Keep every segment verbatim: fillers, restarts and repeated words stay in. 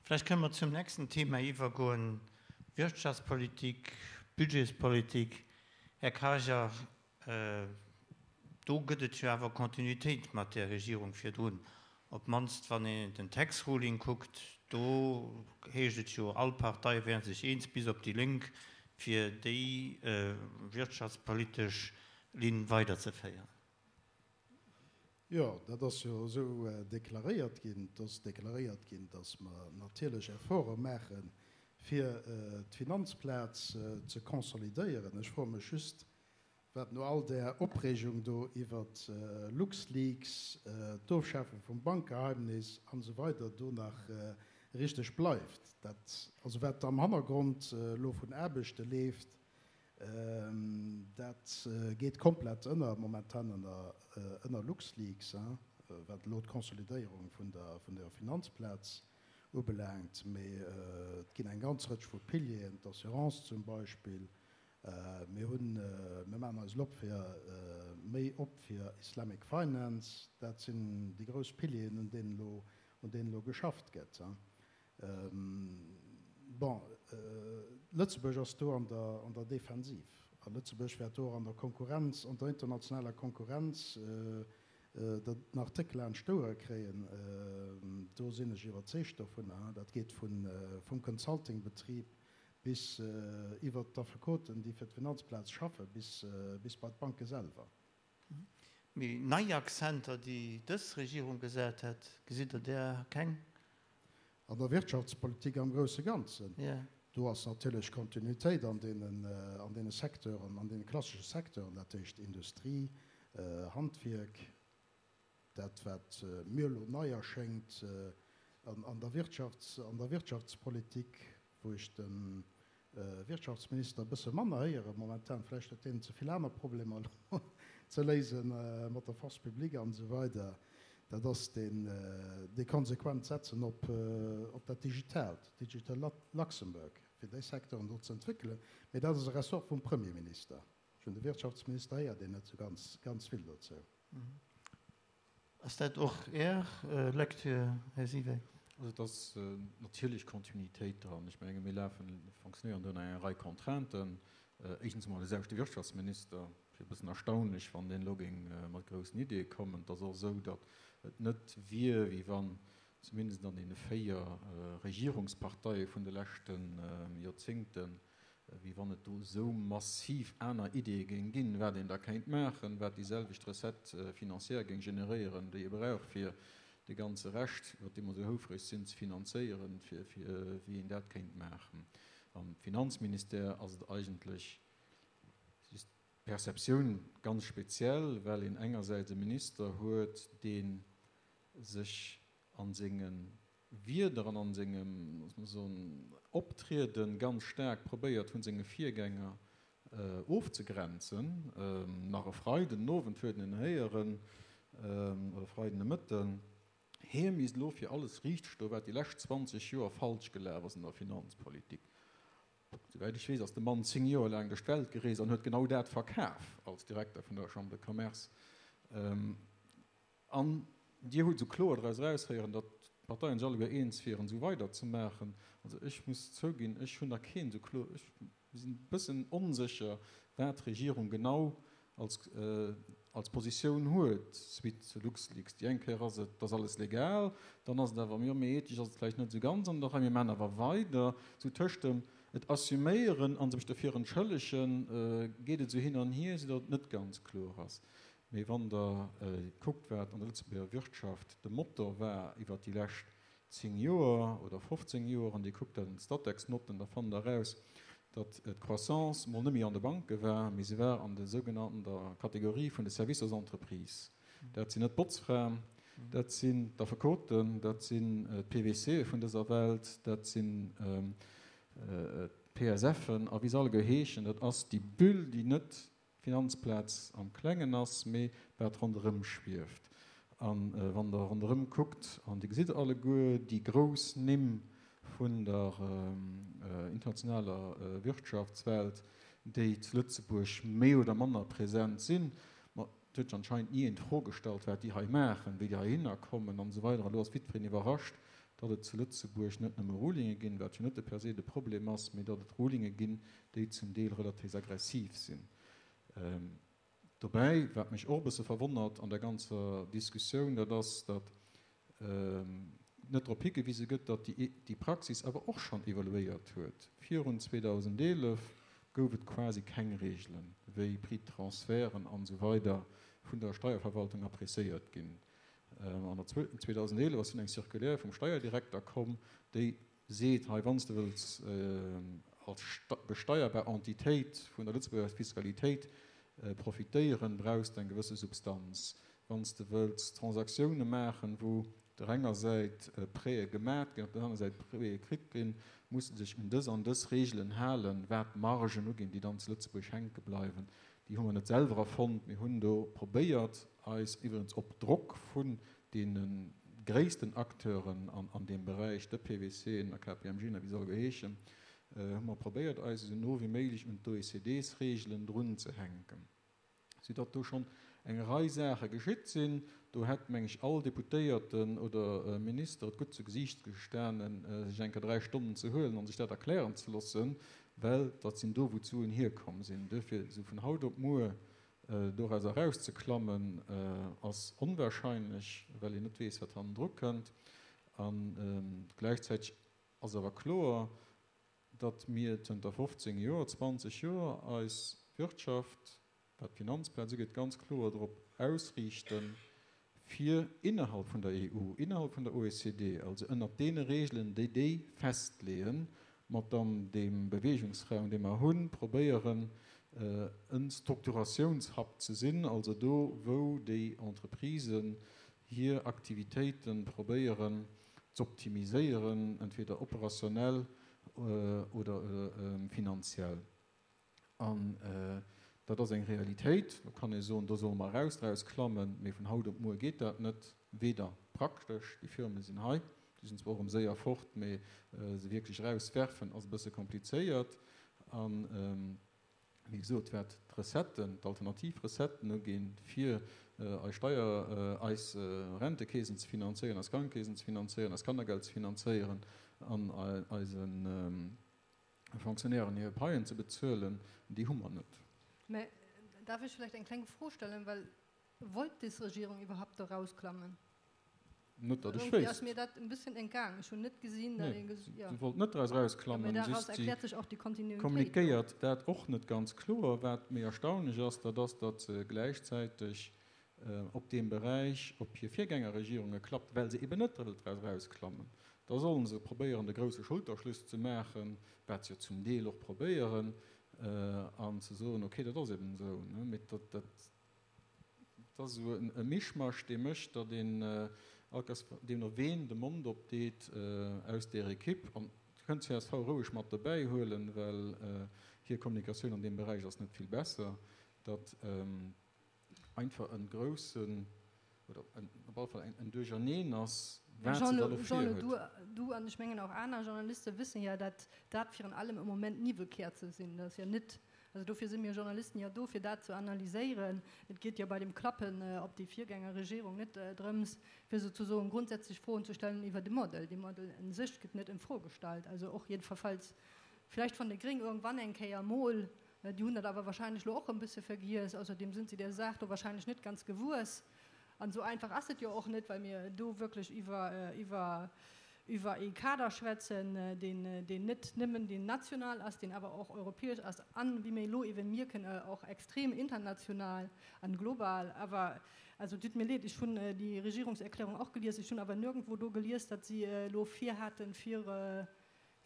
Vläicht kënne mer zum nächsten Thema iwwergoen, Wirtschaftspolitik, Budgetspolitik. Här Karger, do gëtt et jo awer Kontinuitéit mat där Regierung virdrun, op d'mannst wann een den Tax Ruling kuckt, do heescht et jo, all Parteie wäre sech eens, bis op déi Lénk, fir déi wirtschaftspolitesch Linn weiderzeféieren. Jo, dat ass jo esou deklaréiert ginn. Et ass deklaréiert ginn, datt mer natierlech Efforte maachen, fir d'Finanzplaz ze consolidéieren. Ech froe mech just, wat no all där Opreegung do iwwert LuxLeaks, d'Ofschafe vum Bankgeheimnis an esou weider do nach richteg bleift. Dat, also wat am Hannergrond elo vun Aarbechte leeft, Dat geet komplett ënner momentan ënner LuxLeaks, wat elo d'Consolidéierung vun der Finanzplaz ubelaangt. Mee et ginn eng ganz Rëtsch vu Pilieren, d'Assurance zum Beispill. Mir hunn, mir maachen eis elo op fir méi op fir Islamic Finance. Dat sinn déi grouss Pilieren, un deenen elo, un deenen elo geschafft gëtt. Bon, Lëtzebuerg ass do an der, an der Defensiv. A Lëtzebuerg wäert do och an der Konkurrenz, an der internationaler Konkurrenz den Artikel laanscht d'Ouere kréien. Do sinn ech iwwerzeegt dovunner. Dat geet vun, vum Consulting-Betrib bis iwwert d'Affekoten, déi fir d'Finanzplaz schaffen, bis, bis bei d'Banke selwer. Mee nei Akzenter, déi dës Regierung gesat hätt, gesitt Der där keng? An der Wirtschaftspolitik am grousse Ganzen, do ass natierlech Kontinuitéit an deenen, an deene Secteuren, an deene klassesche Secteuren, dat heescht Industrie, Handwierk, dat wat mir elo nei erschéngt an der Wirtschafts-, an der Wirtschaftspolitik, wou ech de Wirtschaftsminister e bësse manner héiere momentan, vläicht huet deen ze vill aner Problemer elo ze léise mat der Force publique an esou weider, dat ass deen dee konsequent Setzen op op dat Digitaalt, Digital Luxembourg, fir déi Secteuren do ze entwéckelen. Mee dat ass e Ressort vum Premierminister. Vun de Wirtschaftsminister héiert een net esou ganz, ganz vill dozou. Ass dat och Är Lecture, Här Siweck? Also et ass natierlech Kontinuitéit dran. Ech menge mir lafen, fonctionnéieren do ënner enger Rei Contrainten. Éischtens emol de selwechte Wirtschaftsminister. Et wier e bëssen erstaunlech, wann deen elo géing mat groussen Ideeë kommen. Et ass och esou, datt et net wier, wéi wann zumindest an deene véier Regierungsparteie vun de leschte Joerzéngten, wéi wann et do esou massiv aner Ideeë géing ginn, wat een da kéint maachen, wat déi selwecht Recette financière géing generéieren, déi ee brauch, fir de ganze Rescht, iwwer dee mer esou houfreg sinn, ze finanzéieren, fir wéi een dat kéint maachen. Am Finanzministère ass et eigentlech just d'Perceptioun ganz speziell, well een engersäits e Minister huet, dee sech a senge Wieder an a sengem, loosse mer soen, Optriede ganz staark probéiert vun senge Virgänger ofzegrenzen. Nach e Freiden den Owend huet een héieren, oder e Freiden de Mëtten, hie misst elo fir alles riichtstoen, wat déi lescht zwanzeg Joer falsch gelaf ass an der Finanzpolitik. Souwäit ech weess, ass de Mann zéng Joer laang duerch d'Welt gereest an huet genau dat verkaf als Direkter vun der Chambre de Commerce. An Dir hutt esou kloer draus eraushéieren, datt d'Parteien sech alleguer eens wieren, esou weiderzemaachen. Also ech muss zouginn, ech hunn nach keen esou kloer, ech sinn e bëssen onsécher, wat d'Regierung genau als, als Positioun huet suite zu LuxLeaks. Déi eng Kéier ass et, et ass alles legal, dann ass et awer, jo, mee ethesch ass et vläicht net esou ganz an der Rei, mir maachen awer weider. Esou tëscht dem et assuméieren a sech dofir entschëllegen, geet et esou hin an hier, esoudatt et net ganz kloer ass. Mee wann Der kuckt, wat an der Lëtzebuerger Wirtschaft de Motor war iwwert déi lescht zéng Joer oder fofzéng Joer, an Dir kuckt dat an d'Statec-Notten, da fannt Der eraus, datt d'Croissance mol net méi an de Banke war, mee se war an de sougenannten, der Kategorie vun de Services aux entreprises. Dat sinn net d'Botzfraen, dat sinn d'Affekoten, dat sinn d'P W Cë vun dëser Welt, dat sinn d'P S Fen a wéi se alleguer heeschen. Dat ass déi Bulle, déi net d'Finanzplaz am Klengen ass, mee wat ronderëm schwieft. A wann Der ronderëm kuckt, an Dir gesitt alleguer déi grouss Nimm vun der internationaler Wirtschaftswelt, déi zu Lëtzebuerg méi oder manner present sinn, ma et huet sech anscheinend ni een d'Fro gestallt, wat déi hei maachen, wéi déi heihinner kommen an esou weider. Elo ass jiddwereen iwwerrascht, datt et zu Lëtzebuerg net nëmme Rulinge ginn, wat jo net per se de Problem ass, mee datt et Rulinge ginn, déi zum Deel relativ aggressiv sinn. Dobäi, wat mech och e bësse verwonnert an der ganzer Diskussioun, dat ass, datt net drop higewise gëtt, datt déi Praxis awer och schonn evoluéiert huet. Virun zweedausendeelef gouf et quasi keng Reegelen, wéi Prix-de-transferten an esou weider vun der Steierverwaltung appréciéiert ginn. An der zweedausendeelef ass dunn eng Circulaire vum Steierdirekter komm, déi seet, hei, wann s de wëlls als besteierbar Entitéit vun der Lëtzebuerger Fiskalitéit profitéieren, brauchs de eng gewësse Substanz. Wann s de wëlls Transaktioune maachen, wou op der enger Säit Prêtë gemat ginn, op der aner Säit Prêtë kritt ginn, muss de dech un dës an dës Reegelen halen, wat d'Margen uginn, déi dann zu Lëtzebuerg hänke bleiwen. Déi hu mer net selwer erfonnt. Mir hunn do probéiert, eis, iwwregens op Drock vun deene gréissten Acteuren an deem Beräich, de PwCen a K P M G a wéi se alleguer heeschen, hu mer probéiert, eis esou no wéi méiglech un d'O E C Ds-Reegelen drunzehänken, soudatt do schonn eng Rei Saache geschitt sinn. Do hätt, meng ech, all Deputéierten oder Minister et gutt zu Gesiicht gestanen, sech eng Kéier dräi Stonnen ze huelen a sech dat erklären ze loossen, well dat sinn do, wou d'Suen hierkomm sinn. Duerfir, esou vun haut op muer doraus erauszeklammen, ass onwahrscheinlech, well een net weess, wat hannendru kënnt. A gläichzäiteg ass awer kloer, datt mir zënter fofzéng Joer, zwanzeg Joer eis Wirtschaft, wat d'Finanzplaz ugeet, ganz kloer drop ausriichten, fir innerhalb vun der E U, innerhalb vun der O E C D, also ënnert deene Regeln, déi déi festleeën, mat dann deem Beweegungsraum, dee mer hunn, probéieren, e Strukturatiounshub ze sinn, also do, wou déi Entreprisen hir Aktivitéite probéieren z'optimiséieren, entweder operationnel oder finanziell. An dat ass eng Realitéit. Do kann ee soen, do solle mer eraus draus klammen, mee vun haut op muer geet dat net, weder praktesch, déi Firme sinn hei, déi sinn zwar och erëm séier fort, mee se wierklech erauswerfen ass e bësse komplizéiert. An, wéi gesot, wat d'Recetten, d'alternativ Recetten uginn, fir eis Steier, eis Rentekeesen ze finanzéieren, eis Krankekeesen ze finanzéieren, eist Kannergeld ze finanzéieren an eise Fonctionnairen hir Paien ze bezuelen, déi hu mer net. Mä darf ech vläicht eng kleng Fro stellen, well wollt des Regierung iwwerhaupt do rausklammen? Net datt ech wéisst. Ass mir dat e bëssen entgaang. Ech hunn net gesinn, datt een ges-, jo. Se wollt net draus rausklammen, Mä daraus just si erkläert sech och déi Kontinuitéit. Kommunikéiert dat och net ganz kloer. Wat méi erstaunlech ass, dat ass, datt se gläichzäiteg op deem Beräich op hir Virgängerregierunge klappt, well se eben net wëllt draus rausklammen. Da sollen se probéieren, de grousse Schulterschluss ze maachen, wat se jo zum Deel och probéieren, an ze soen, okay, dat ass eben esou. Mee dat, dat ass esou e Mischmasch, dee mécht, datt een allkéiers, deemno ween de Mond opdeet aus där Ekipp, an Dir kënnt d'C S V roueg mat dobäi huelen, well hir Kommunikatioun an deem Beräich ass net vill besser, datt einfach e groussen, oder op alle Fall en Duercherneen ass, wat se da elo Jean-Lou, virhuet. du an ech mengen och aner Journaliste wëssen ja, datt dat virun allem am Moment Niwwelkäerze sinn. Dat ass jo net, also dofir si mir Journalisten ja do, fir dat ze analyséieren. Et geet jo bei dem Klappen op déi Virgängerregierung net drëms, fir souzesoen grundsätzlech Froen ze stellen iwwer de Modell. De Modell un sech gëtt net in Fro gestallt. Also och jiddwerfalls vläicht vun de Gréng irgendwann eng Kéier mol, déi hunn dat awer wahrscheinlech lo och e bësse vergiess. Ausserdem sinn se der Saach do wahrscheinlech net ganz gewuess. An esou einfach ass et jo och net, well mir do wierklech iwwer, iwwer, iwwer ee Kader schwätzen, deen, deen net nëmmen deen national ass, deen awer och europäesch ass an, wéi mir elo eeben mierken, och extrem international an global. Awer, also tut mir leed, ech hunn déi Regierungserklärung och gelies, ech hunn awer nirgendwou do gelies, datt si elo virhaten, fir,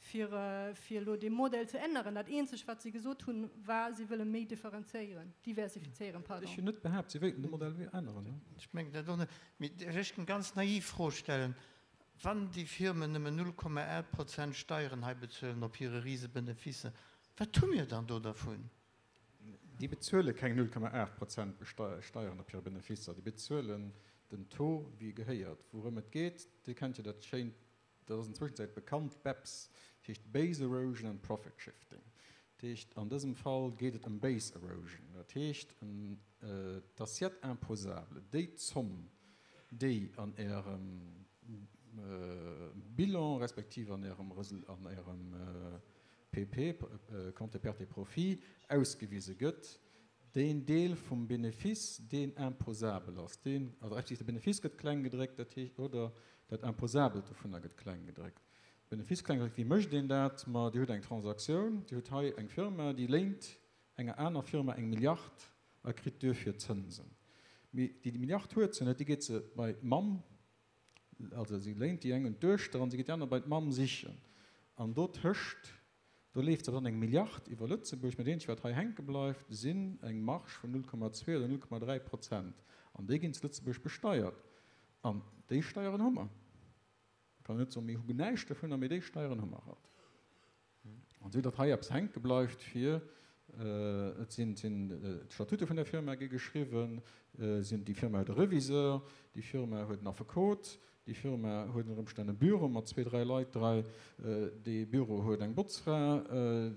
fir, fir elo dee Modell ze änneren. Dat Eenzegt, wat si gesot hunn, war, si wëlle méi differenzéieren, diversifizéieren, pardon. Ech hunn net behaapt, si wéilten de Modell änneren. Ech mengen dat och net. Mee däerf ech eng ganz naiv Fro stellen? Wann déi Firmen nëmmen null Komma aacht Prozent Steieren hei bezuelen op hire Risebeneficen, wat hu mir dann do dervun? Déi bezuele keng null Komma aacht Prozent Steieren op hire Beneficer. Déi bezuelen den Taux, wéi e gehéiert. Wourëm et geet, Dir kennt jo dat schéint, dat ass an Zwëschenzäit bekannt, BEPS, dat heescht Base Erosion and Profit Shifting. Dat heescht, an dësem Fall geet et ëm Base Erosion. Dat heescht, ëm d'Assiette imposable, déi Zomm, déi an Ärem Bilan respektiv an Ärem, an Ärem P P, Compte perte et profit, ausgewise gëtt, deen Deel vum Benefice, deen imposabel ass, deen, also respektiv de Benefice gëtt kleng gedréckt, dat heescht, oder dat Imposabelt dovunner gëtt kleng gedréckt. Benefice kleng gedréckt, wéi mécht een dat? Ma Dir hutt eng Transaktioun, Dir hutt hei eng Firma, déi léint enger aner Firma eng Milliard a kritt duerfir Zënsen. Mee déi Milliard huet se net, déi geet se bei d'Mamm, also si léint déi eng un d'Duechter an si geet déi aner bei d'Mamm sichen. An dotëscht, do leeft se dann eng Milliard iwwer Lëtzebuerg, mä dat eenzegt, wat hei hänke bleift, sinn eng Marge vun null Komma zwee oder null Komma dräi Prozent. An déi ginn zu Lëtzebuerg besteiert. An déi Steieren hu mer. Da kann een net soen, mir hu näischt dovunner, mee déi Steieren hu mer halt. An esou datt hei eppes hänke bleift fir, et sinn d'Statute vun der Firma gi geschriwwen, sinn, déi Firma huet e Reviseur, déi Firma huet en Affekot, déi Firma huet ënner Ëmstänn e Büro mat zwee, dräi Leit drai, dee Büro huet eng Botzfra,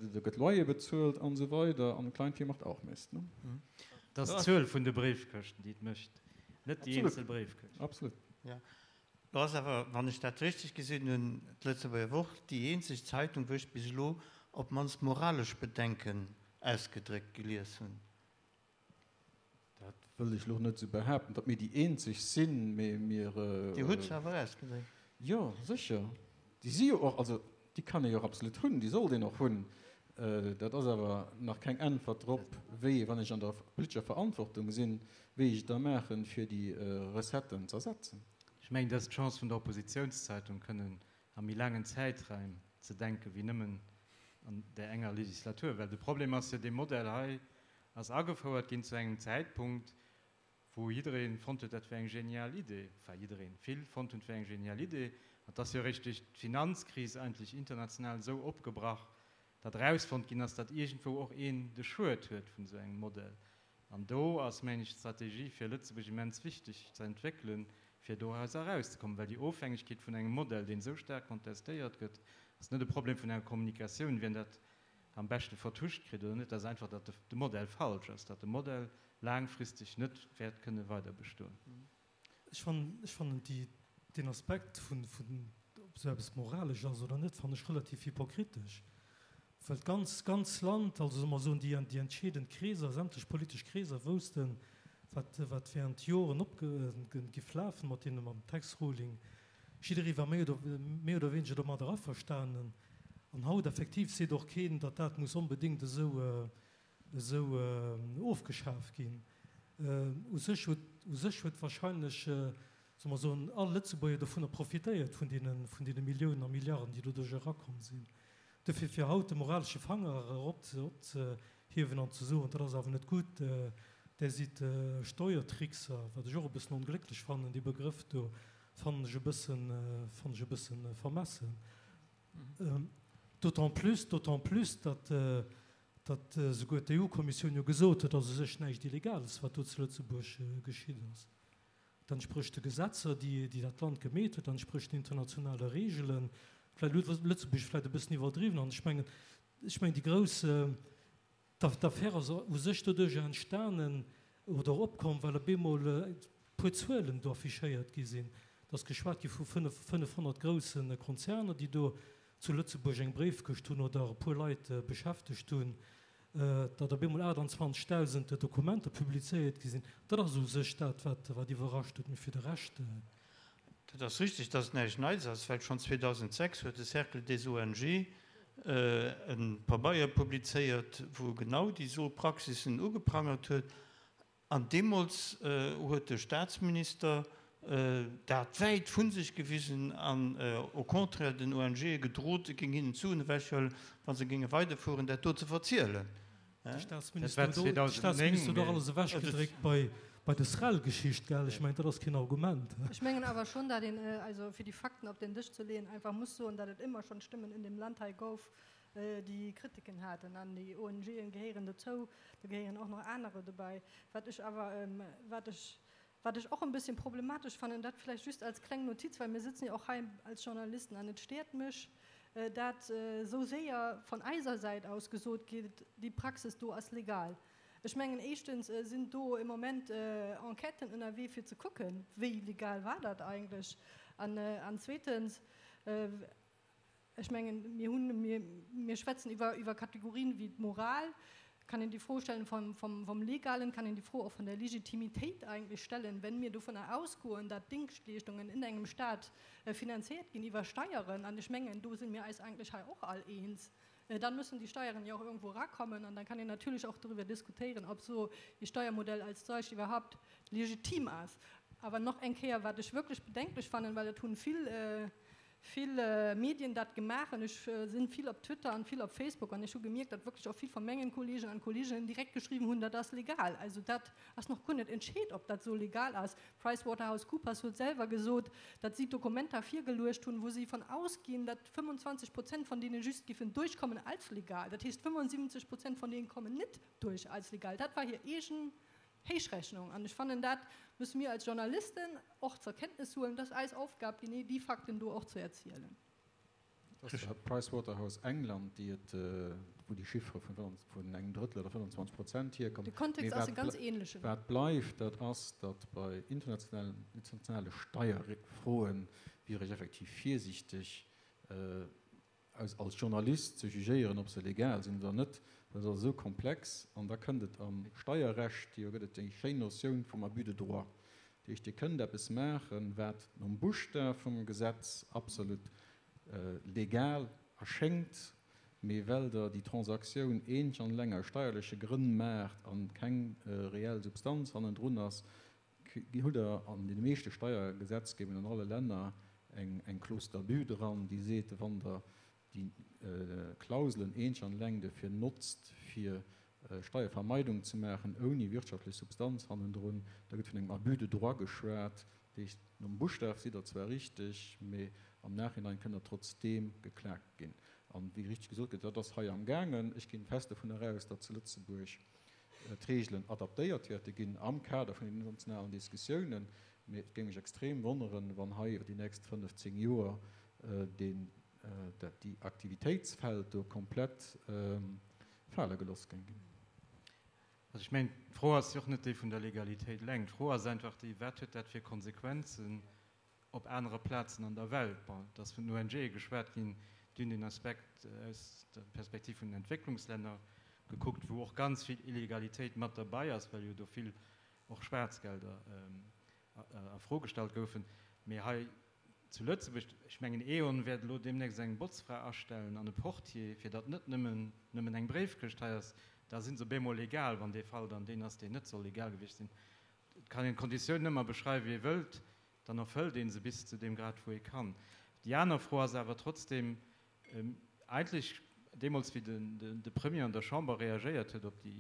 do gëtt Loyer bezuelt an esou weider an Kleinvieh macht auch Mist, ne? Et ass d'Zuel vun de Bréifkëschten, déi et mécht, net déi eenzel Bréifkëscht. Absolut. Jo. Lo ass awer, wann ech dat richteg gesinn hunn, d'Lëtzebuerger Wort déi eenzeg Zeitung, wou ech bis elo op d'mannst moralesch Bedenken ausgedréckt gelies hunn. Dat wëll ech elo net esou behaapten, datt mir déi eenzeg sinn, mee mir. Dir hutt se awer ausgedréckt. Jo, sécher. Déi si jo och, also déi kann ee jo och absolut hunn, déi sollt een och hunn. Dat ass awer nach keng Äntwert drop, wéi, wann ech an der politescher Verantwortung sinn, wéi ech et da maachen, fir déi Recetten z'ersetzen. Ech mengen, dat ass d'Chance vun der Oppositionszeitung, kënnen a méi laangen Zäitraim ze denken, wéi nëmmen an där enger Legislatur. Well de Problem ass jo, dee Modell hei ass agefouert ginn zu engem Zäitpunkt, wou jidderee fonnt huet, dat wär eng genial Idee, enfin jiddereen, vill fonnt hunn, et wär eng genial Idee. An et ass jo eréischt duerch d'Finanzkris eigentlech international esou opgebrach, datt erausfonnt ginn ass, datt iergendwou och een de Schued huet vun esou engem Modell. An do ass, mengen ech, d'Strategie fir Lëtzebuerg immens wichteg ze entwéckelen, fir dorauser erauszekommen, well déi Ofhängegkeet vun engem Modell, deen esou staark kontestéiert gëtt, ass net e Problem vun enger Kommunikatioun, wien dat am beschte vertuscht kritt oder net, dat ass einfach, datt de Modell falsch ass, datt de Modell laangfristeg net wäert kënne weiderbestoen. Ech fannen, ech fannen déi, deen Aspekt vun, vun ob esou eppes moralesch ass oder net, fannen ech relativ hypokritesch, well d'ganz, ganz Land, also solle mer soen, déi, déi entscheedend Kreeser, sämtlech politesch Kreeser woussten, wat, wat während Joren opge, giff lafen mat deene, mam Tax Ruling. Jidderee war méi oder, méi oder wéineger domadder averstanen. An haut effektiv seet och keen, datt dat muss onbedéngt esou, esou ofgeschaf ginn. U sech huet, u sech huet wahrscheinlech, solle mer soen, all Lëtzebuerger dovunner profitéiert, vun deene, vun deene Milliounen a Milliarden, déi doduerch erakomm sinn. Dofir, fir haut de moralesche Fanger erop ze, opzehiewen an ze soen, dat ass awer net gutt, där sidd Steuertrickser, wat ech och e bëssen onglécklech fannen, dee Begrëff do fannen ech e bëssen, fannen ech e bëssen vermessen. D'autant plus, d'autant plus, datt, datt esouguer d'E U-Kommissioun jo gesot huet, datt u sech näischt Illegales, wat do zu Lëtzebuerg geschitt ass. Dat entsprécht de Gesetzer, déi, déi dat Land gemeet huet, dat entsprécht den internationale Regeln. Vläicht huet Lëtzebuerg vläicht e bëssen iwwerdriwwen. An ech mengen, ech mengen déi grouss, d'Affär ass u sech doduerjer entstanen oder opkomm, well op eemol e puer Zuelen do affichéiert gi sinn. Et ass geschwat gi vu fënnefhonnert grousse Konzerner, déi do zu Lëtzebuerg eng Bréifkëscht hunn oder e puer Leit beschäftegt hunn, datt op eemol aachtanzwanzegdausend Dokumenter publizéiert gi sinn. Dat ass u sech dat, wat wat iwwerrascht huet. Mee fir de Rescht. Dat ass richtig, datt et näischt Neits ass, well schonn zweedausendsechs huet de Cercle des O N G e Pabeier publizéiert, wou e genau déi sou Praxissen ugeprangert huet. An deemools huet de Statsminister dat wäit vu sech gewisen an au contraire den O N G'e gedrot, e géing hinnen d'Suen ewechhuelen, wa se géinge weiderfueren, dat do ze verzielen. De Statsminister huet och alles ewechgedréckt bei bei der Srel-Geschicht, gell? Ech mengen, dat ass keen Argument. Ech mengen awer schonn, datt een, also fir déi Fakten op den Dësch ze leeën, einfach muss soen, datt et ëmmer schonn Stëmmen in dem Land hei gouf, déi Kritiken haten. An déi O N G'en gehéieren dozou, do gehéieren och nach anerer dobäi. Wat ech awer, wat ech, wat ech och en bisschen problematesch fannen, dat vläicht just als kleng Notiz, well mir sitzen jo och hei als Journalisten an et stéiert mech, dat esou séier von eiser Säit aus gesot gétt, déi Praxis do ass legal. Ech mengen, éischtens sinn do im Moment Enquêten ënnerwee fir ze kucken, wéi legal war dat eigentlech. An, an zweetens, ech mengen, mir hunn, mir, mir schwätzen iwwer, iwwer Kategorien wéi d'Moral, kann een déi Fro stellen vom, vom, vom Legalen, kann een déi Fro och vun der Legitimitéit eigentlech stellen, wenn mir dovunner ausgoen, datt Dingschtleeschtungen in engem Staat finanziert ginn iwwer Steieren, an ech mengen, do si mir eis eigentlech hei och all eens, dann müssen die Steuern ja auch irgendwo rakommen an dann kann een natürlich auch darüber diskutieren, ob so e Steuermodell als solch iwwerhaupt legitim ass. Awer nach eng Kéier, wat ech wierklech bedenklech fannen, well et hunn vill, vill Medien dat gemaach an ech sinn vill op Twitter an vill op Facebook an ech hu gemierkt, datt wierklech och vill vu mengen Kollegen an Kolleginnen direkt geschriwwen hunn, dat ass legal. Also dat ass nach guer net entscheet, ob dat sou legal ass. PricewaterhouseCoopers huet selwer gesot, datt si Dokumenter virgeluecht hunn, wou si von ausginn, datt fëmmundzwanzeg Prozent von deenen just giffen duerchkommen als legal. Dat heescht fëmmunsiwwenzeg Prozent von deenen kommen net duerch als legal. Dat war hir eegen Héichrechnung. An ech fannen, dat müsse mir als Journalisten och zur Kenntnis huelen, dat ass eis Aufgab, genee déi Fakten do och ze erzielen. Dat ass Pricewaterhouse England, déi et, wou déi Chiffre vun vun engem Drëttel oder fënnanzwanzeg Prozent hierkommen. De Kontext ass e ganz ähnlechen. Wat bleift, dat ass, datt bei internationalen, internationale Steierfroen wier ech effektiv virsiichteg, aus als Journalist ze jugéieren, ob se legal sinn oder net, well se ass esou komplex. An da kënnt et am Steierrecht, jo gëtt et déi schéin Notioun vum Abus de droit. Dat heescht, Dir kënnt eppes maachen, wat nom Buschtaf vum Gesetz absolut legal erschéngt, mee well Der déi Transaktioun eenzeg an eleng aus steierleche Grënn maacht a keng reell Substanz hannendrun ass, hutt Der an deene meeschte Steiergesetzgebungen an alle Länner eng Clause d'abus dran, déi seet, wann Der déi Klauselen eenzeg an eleng dofir notzt, fir Steiervermeidung ze maachen, ouni wirtschaftlech Substanz hannendrun, da gëtt vun engem Abus de droit geschwat. Dat heescht, nom Buschtaf sidd Der zwar richteg, mee am Nachhinein kënnt Der trotzdeem geklakt ginn. An wéi richteg gesot gëtt, dat ass hei amgaangen. Ech ginn fest dovun eraus, datt zu Lëtzebuerg d'Reegelen adaptéiert wäerte ginn am Kader vun den internationalen Diskussiounen. Mee et géing mech extrem wonneren, wann hei iwwer déi nächst fënnef, zéng Joer deen, dat déi Aktivitéitsfeld do komplett fale gelooss géing ginn. Also ech mengen, d'Fro ass jo och net déi vun der Legalitéit eleng. D'Fro ass einfach déi, Wat huet dat fir Konsequenzen op anere Plazen an der Welt? Bon, et ass vun den O N G geschwat ginn, déi hunn den Aspekt aus der Perspektiv vun den Entwécklungslänner gekuckt, wou och ganz vill Illegalitéit mat derbei ass, well jo do vill och Schwaarzgelder a Fro gestallt goufen. Mee hei zu Lëtzebuerg, ech mengen E On wäert elo deemnächst eng Botzfra astellen an e Portier, fir datt net nëmmen nëmmen eng Bréifkëscht hei ass, da si se op eemol legal, wann dee Fall dann deen ass, deen net soll legal gewiescht sinn. Et kann een d'Konditiounen ëmmer beschreiwen, wéi ee wëllt, dann erfëllt ee se bis zu deem Grad, wou ee kann. Déi aner Fro ass awer trotzdem, eigentlech deemools, wéi den de Premier an der Chamber reagéiert huet op déi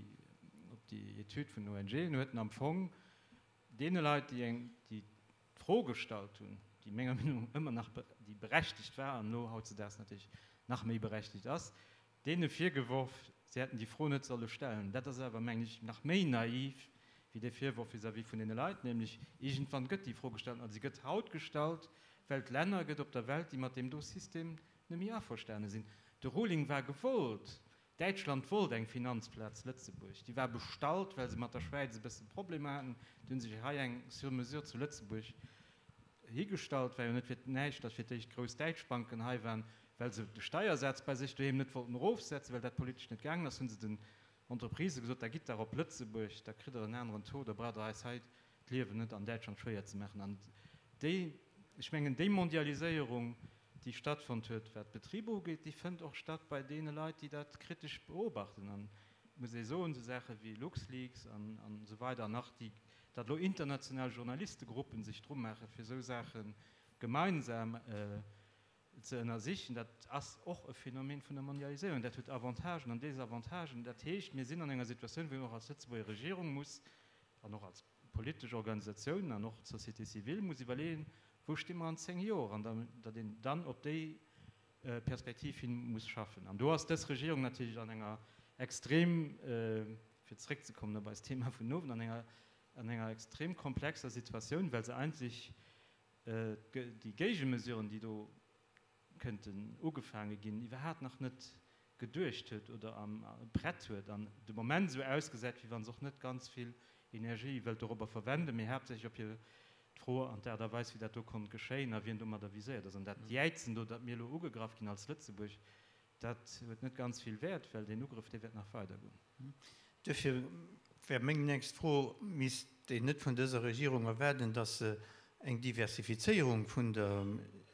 op déi Etüd vun den O N G en, huet en am Fong deene Leit, déi eng déi d'Fro gestallt hunn, déi menger Meenung no ëmmer nach déi berechtegt war an elo hautzedaags natierlech nach méi berechtegt ass, deene virgeworf, si hätten déi Fro net solle stellen. Dat ass awer, mengen ech, nach méi naiv wéi dee Virworf vis-à-vis vun deene Leit, nämlech iergendwann gëtt déi Fro gestallt a si gëtt haut gestallt, well et Länner gëtt op der Welt, déi mat deem do System net méi averstane sinn. De Ruling war gewollt. Däitschland wollt eng Finanzplaz Lëtzebuerg. Déi war bestallt, well se mat der Schwäiz e bësse Problemer haten. Déi hu sech hei eng sur mesure zu Lëtzebuerg higestallt. War jo net fir näischt, datt fir d'éischt grouss däitsch Banken hei waren, well se de Steiersaz bei sech doheem net wollten erofsetzen, well dat politesch net gaangen ass, hu se den Entreprisë gesot, da gitt der op Lëtzebuerg, da kritt der en aneren Taux, da braucht der eis hei d'Liewen net an Däitschland schwéier ze maachen. An déi, ech mengen, déi Mondialiséierung, déi stattfonnt huet, wat d'Betriber ugeet, déi fënnt och statt bei deene Leit, déi dat kritesch beobachten. An et muss ee soen, esou Saache wéi LuxLeaks an esou weider an nach déi, datt elo international Journalistegruppen sech dru maachen, fir esou Saache gemeinsam ze ënnersichen, dat ass och e Phänomen vun der Mondialiséierung. Dat huet Avantagen an Desavantagen. Dat heescht, mir sinn an enger Situatioun, wou een och als Lëtzebuerger Regierung muss an och als politesch Organisatiounen an och d'Société civile muss iwwerleeën, Wou sti mer an zéng Joer? An datt een dann op déi Perspektiv hin muss schaffen. An do ass dës Regierung natierlech an enger extrem, fir zréckzekommen op eist Thema vun Owend, an enger, an enger extrem komplexer Situatioun, well se eigentlech déi Géigemesuren, déi do kënnten ugefaange ginn, iwwerhaapt nach net geduecht huet oder am prett huet an de Moment esou ausgesäit, wéi wa se och net ganz vill Energie wëllt dorobber verwenden, mee haaptsächlech op hir d'Fro an d'Aart a Weis, wéi dat do konnt geschéien a wien domadder viséiert ass. An dat Jäizen do, datt mir elo ugegraff ginn als Lëtzebuerg, dat huet net ganz vill Wäert, well deen Ugrëff, dee wäert nach weidergoen. Duerfir wär meng nächst Fro, Misst een net vun dëser Regierung erwaarden, datt se eng Diversifizéierung vun der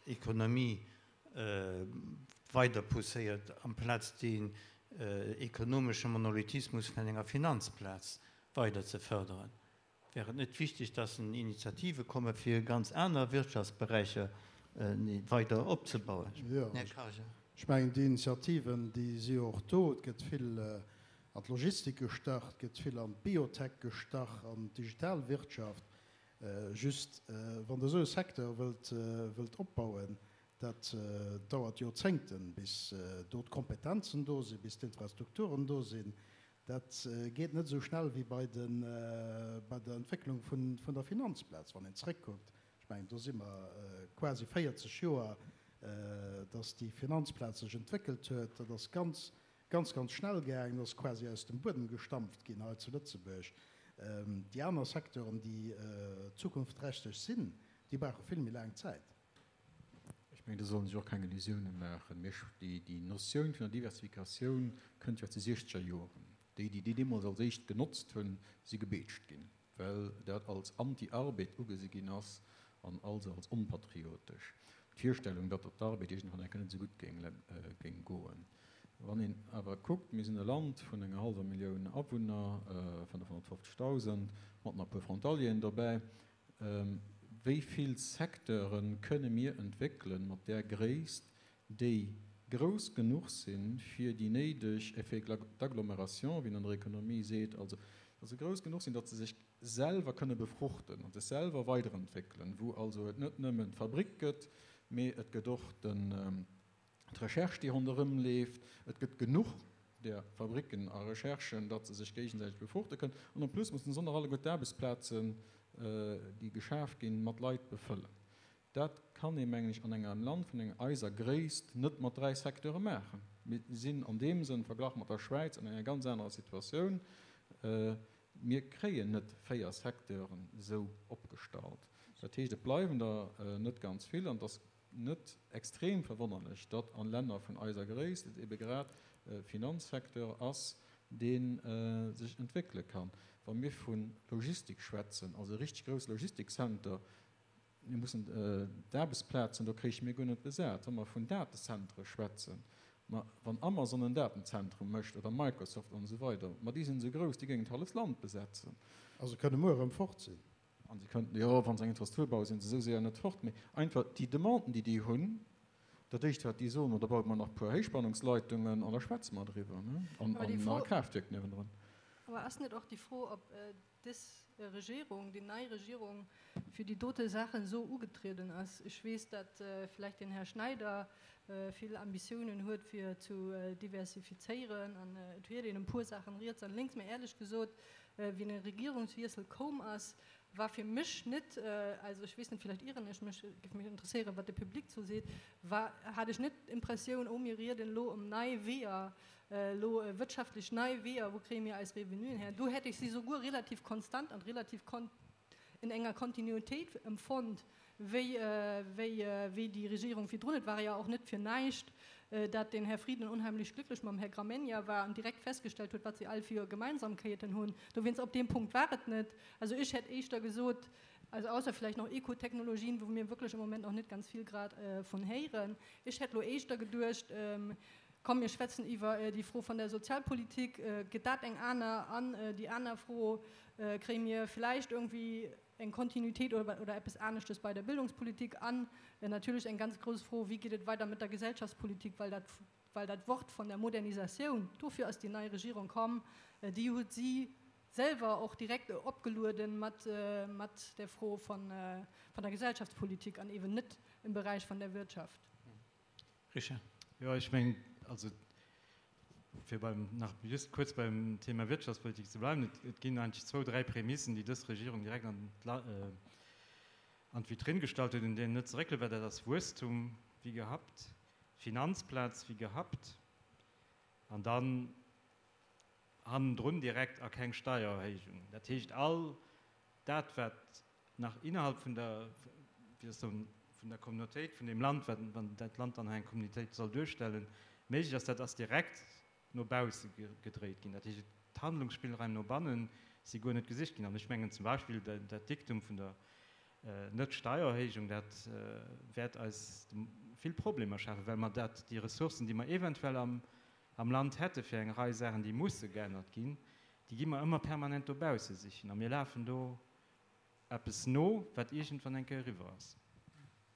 Ekonomie weider pousséiert, amplaz deen ekonomesche Monolithismus vun enger Finanzplaz weider ze fërderen? Wär et net wichteg, dass Initiative komme fir ganz aner Wirtschaftsberäicher weider opzebauen? Här Karger. Ech mengen, déi Initiativen, déi si jo och do. Et gëtt vill an d'Logistik gestach, et gëtt vill an d'Biotech gestach, an d'digital Wirtschaft. Just, wann Der esou e Secteur wëllt, wëllt opbauen, dat dauert Joerzéngten, bis do d'Kompetenzen do sinn, bis d'Infrastrukturen do sinn. Dat geet net esou schnell wéi bei de, bei der Entwécklung vun, vun der Finanzplaz. Wann een zréckkuckt, ech mengen, do si mer quasi véierzeg Joer, dass déi Finanzplaz sech entwéckelt huet. Dat ass ganz, ganz, ganz schnell gaangen, ass quasi aus dem Buedem gestampft ginn hei zu Lëtzebuerg. Déi aner Secteuren, déi zukunftsträchteg sinn, déi brauche vill méi laang Zäit. Ech mengen, do soll een sech och keng Illusiounen maachen. Mir, déi, déi Notioun vun der Diversifikatioun kënnt jo aus de siechzeger Joren. Déi, déi déi deemools als éischt genotzt hunn, si gebeetscht ginn, well dat als Anti-Arbed ugesi ginn ass an also als onpatriotesch. D'Virstellung, datt op d'Arbed iergendwann eng Kéier net esou gutt géing, géing goen. Wann een awer kuckt, mir sinn e Land vun enger hallwer Millioun Awunner, fënnefhonnertfofzegdausend, mat nach e puer Frontalieren dobäi, Wéi vill Secteure kënne mir entwéckelen mat där Gréisst, déi grouss genuch sinn, fir déi néideg Effets d'agglomération, wéi een an der Ekonomie seet, also datt se grouss genuch sinn, datt se sech selwer kënne befruchten a sech selwer weiderentwéckelen, wou also et net nëmmen d'Fabrik gëtt, mee et gëtt och den, d'Recherche, déi ronderëm leeft. Et gëtt genuch där Fabriken a Recherchen, datt se sech géigesäiteg befruchte kënnen. An en plus mussen se och nach alleguer d'Aarbechtsplazen, déi geschaf ginn, mat Leit befëllen. Dat kann ee, mengen ech, an engem Land vun enger eiser Gréisst net mat dräi Secteure maachen. Mir sinn an deem Sënn, verglach mat der Schwäiz, an enger ganz anerer Situatioun. Mir kréien net véier Secteuren esou opgestallt. Dat heescht, et bleiwen der net ganz vill. An et ass net extrem verwonnerlech, datt a Länner vun eiser Gréisst et ebe grad e Finanzsecteur ass, dee sech entwéckele kann. Wa mir vu Logistik schwätzen, also e richteg grousse Logistikcenter, mir mussen d'Aarbechtsplazen do kréiche mir guer net besat. Wa mer vun Datezentere schwätzen, ma wann Amazon en Datenzentrum mécht oder Microsoft an esou weider, ma déi sinn esou grouss, déi géingen d'halleft Land besetzen. A se kënne muer erëm fort sinn. An se kënnten, jo, wa se eng Infrastruktur bauen, sinn se esou séier net fort. Mee einfach déi Demanden, déi déi hunn, dat Éischt, wat déi soen, ma da baue mer nach e puer Héichspannungsleitungen an da schwätze mer driwwer, ne, an Awer déi nach Fro, e Kraaftwierk niewendrun. awer ass net och déi Fro, ob dës Regierung, déi nei Regierung, fir déi dote Saachen esou ugetrieden ass? Ech weess, datt vläicht den Här Schneider vill Ambitiounen huet, fir zu diversifizéieren, an et huet een e puer Saachen riets an lénks, mä éierlech gesot, wéi den Regierungswiessel koum ass, war fir mech net, also ech weess net, vielleicht ieren ech mech, géif mech interesséieren, wat de Public dozou seet, war, hat ech net d'Impressioun, oh mir rieden elo ëm nei Weeër, elo wirtschaftlech nei Weeër, wou kréie mir eis Revenuen her. Do hätt ech si souguer relativ konstant an relativ in enger Kontinuitéit empfonnt, wéi, wéi, wéi déi Regierung virdrun. Et war jo och net fir näischt, dat den Här Frieden unheimlich glücklich mam Här Gramegna war an direkt festgestellt huet, wat si all fir Gemeinsamkeiten hunn. Dowéinst, op deem Punkt war et net. Also ech hätt éischter gesot, also ausser vielleicht noch Ekotechnologien, wou mir wierklech am Moment nach net ganz vill grad vun héieren, ech hätt elo éischter geduecht, komm mir schwätzen iwwer déi Fro vun der Sozialpolitik, gëtt dat eng aner? An déi aner Fro, kréie mir vläicht irgendwie eng Kontinuitéit oder eppes aneschtes bei der Bildungspolitik? An natierlech eng ganz grouss Fro, Wéi geet et weider mat der Gesellschaftspolitik? Well dat, well dat Wort von der Modernisatioun, dofir ass déi nei Regierung komm, déi huet si selwer och direkt opgelueden mat, mat der Fro von, von der Gesellschaftspolitik an eben net im Bereich von der Wirtschaft. Richard. Jo, ech mengen, also fir beim, nach just kuerz beim Thema Wirtschaftspolitik ze bleiwen, et, et ginn eigentlech zwou, dräi Prämissen, déi dës Regierung direkt an an d'Vitrinn gestallt huet, un deenen net ze réckele war. Dat ass Wuesstum wéi gehabt, Finanzplaz wéi gehabt an dann hannendrun direkt a keng Steiererhéijung. Dat heescht, all dat, wat nach innerhalb vun der, wéi soll ech soen, vun der Communautéit vun deem Land, wann dat Land dann eng Communautéit soll duerstellen, méiglech ass, dat ass direkt no bausse gedréit ginn. Dat heescht, d'Handlungsspillraim no banne si guer net gesicht ginn. An ech mengen zum Beispill dat Diktum vun der Net-Steiererhéijung, dat wäert eis vill Problemer schafen, well mer dat, déi Ressourcen, déi mer eventuell am am Land hätte fir eng Rei Saachen, déi musse geännert ginn, déi gi mer ëmmer permanent dobausse sichen. A mir lafen do eppes no, wat iergendwann eng Kéier eriwwer ass.